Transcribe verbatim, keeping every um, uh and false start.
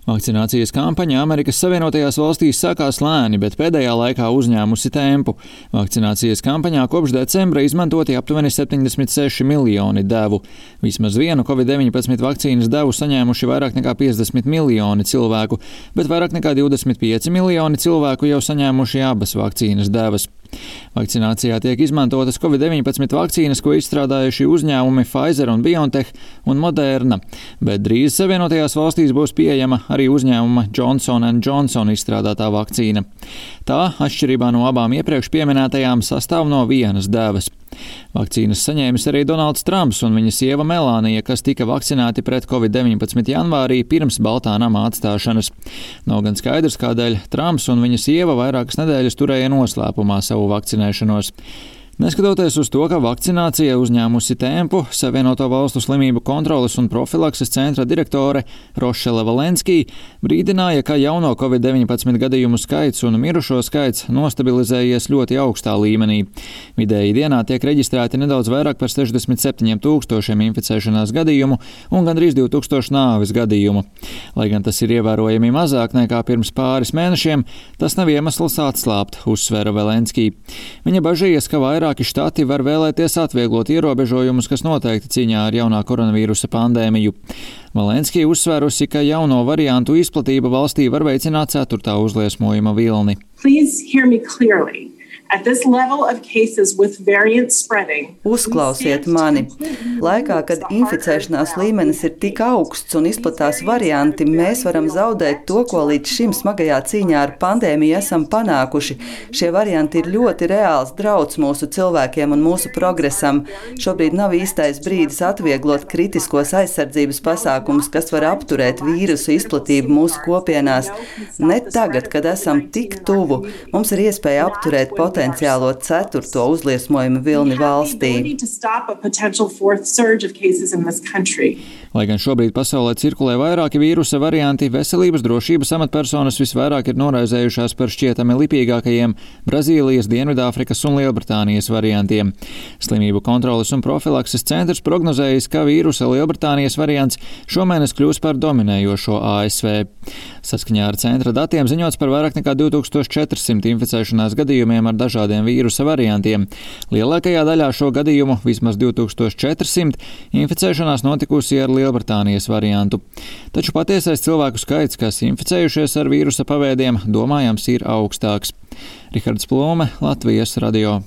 Vakcinācijas kampaņa Amerikas Savienotajās valstīs sākās lēni, bet pēdējā laikā uzņēmusi tempu. Vakcinācijas kampaņā kopš decembra izmantoti aptuveni septiņdesmit seši miljoni devu. Vismaz vienu covid deviņpadsmit vakcīnas devu saņēmuši vairāk nekā piecdesmit miljoni cilvēku, bet vairāk nekā divdesmit pieci miljoni cilvēku jau saņēmuši abas vakcīnas devas. Vakcinācijā tiek izmantotas covid deviņpadsmit vakcīnas, ko izstrādājuši uzņēmumi Pfizer un BioNTech un Moderna, bet drīz Savienotajās valstīs būs pieejama arī uzņēmuma Johnson and Johnson izstrādātā vakcīna. Tā, atšķirībā no abām iepriekš pieminētajām, sastāv no vienas devas. Vakcīnas saņēmis arī Donalds Trumps un viņa sieva Melānija, kas tika vakcinēti pret covid deviņpadsmit janvārī pirms Baltā nama atstāšanas. Nav gan skaidrs, kādēļ Trumps un viņa sieva vairākas nedēļas turēja noslēpumā savu vakcinēšanos. Neskatoties uz to, ka vakcinācija uzņēmusi tempu, Savienoto valstu slimību kontroles un profilakses centra direktore Rošele Valenskī brīdināja, ka jauno covid deviņpadsmit gadījumu skaits un mirušo skaits nostabilizējies ļoti augstā līmenī. Vidēji dienā tiek reģistrēti nedaudz vairāk par sešdesmit septiņiem tūkstošiem inficēšanās gadījumu un gandrīz divi tūkstoši nāves gadījumu. Lai gan tas ir ievērojami mazāk nekā pirms pāris mēnešiem, tas nav iemesls atslābt, uzsvēra Valenskī. Viņa bažījies, ka vairāk Vairāki štati var vēlēties atvieglot ierobežojumus, kas noteikti cīņā ar jaunā koronavīrusa pandēmiju. Valenskī uzsvērusi, ka jauno variantu izplatība valstī var veicināt ceturtā uzliesmojuma vilni. Please hear me clearly. At this level of cases with variant spreading, Uzklausiet mani. Laikā, kad inficēšanās līmenis ir tik augsts un izplatās varianti, mēs varam zaudēt to, ko līdz šim smagajā cīņā ar pandēmiju esam panākuši. Šie varianti ir ļoti reāls drauds mūsu cilvēkiem un mūsu progresam. Šobrīd nav īstais brīdis atvieglot kritiskos aizsardzības pasākumus, kas var apturēt vīrusu izplatību mūsu kopienās. Ne tagad, kad esam tik tuvu, mums ir iespēja apturēt potenciālu potenciālo ceturto uzliesmojumu vilni valstī. Lai gan šobrīd pasaulē cirkulē vairāki vīrusa varianti, veselības drošības amatpersonas visvairāk ir noraizējušās par šķietami lipīgākajiem Brazīlijas, Dienvidāfrikas un Lielbritānijas variantiem. Slimību kontroles un profilakses centrs prognozējis, ka vīrusa Lielbritānijas variants šomēnes kļūs par dominējošo A S V. Saskaņā ar centra datiem ziņots par vairāk nekā divi tūkstoši četri simti inficēšanās gadījumiem ar dažādiem vīrusa variantiem. Lielākajā daļā šo gadījumu, vismaz divi tūkstoši četri simti, inficēšanās notikusi ar Lielbritānijas variantu. Taču patiesais cilvēku skaits, kas inficējušies ar vīrusa paveidiem, domājams ir augstāks. Rihards Plome, Latvijas radio.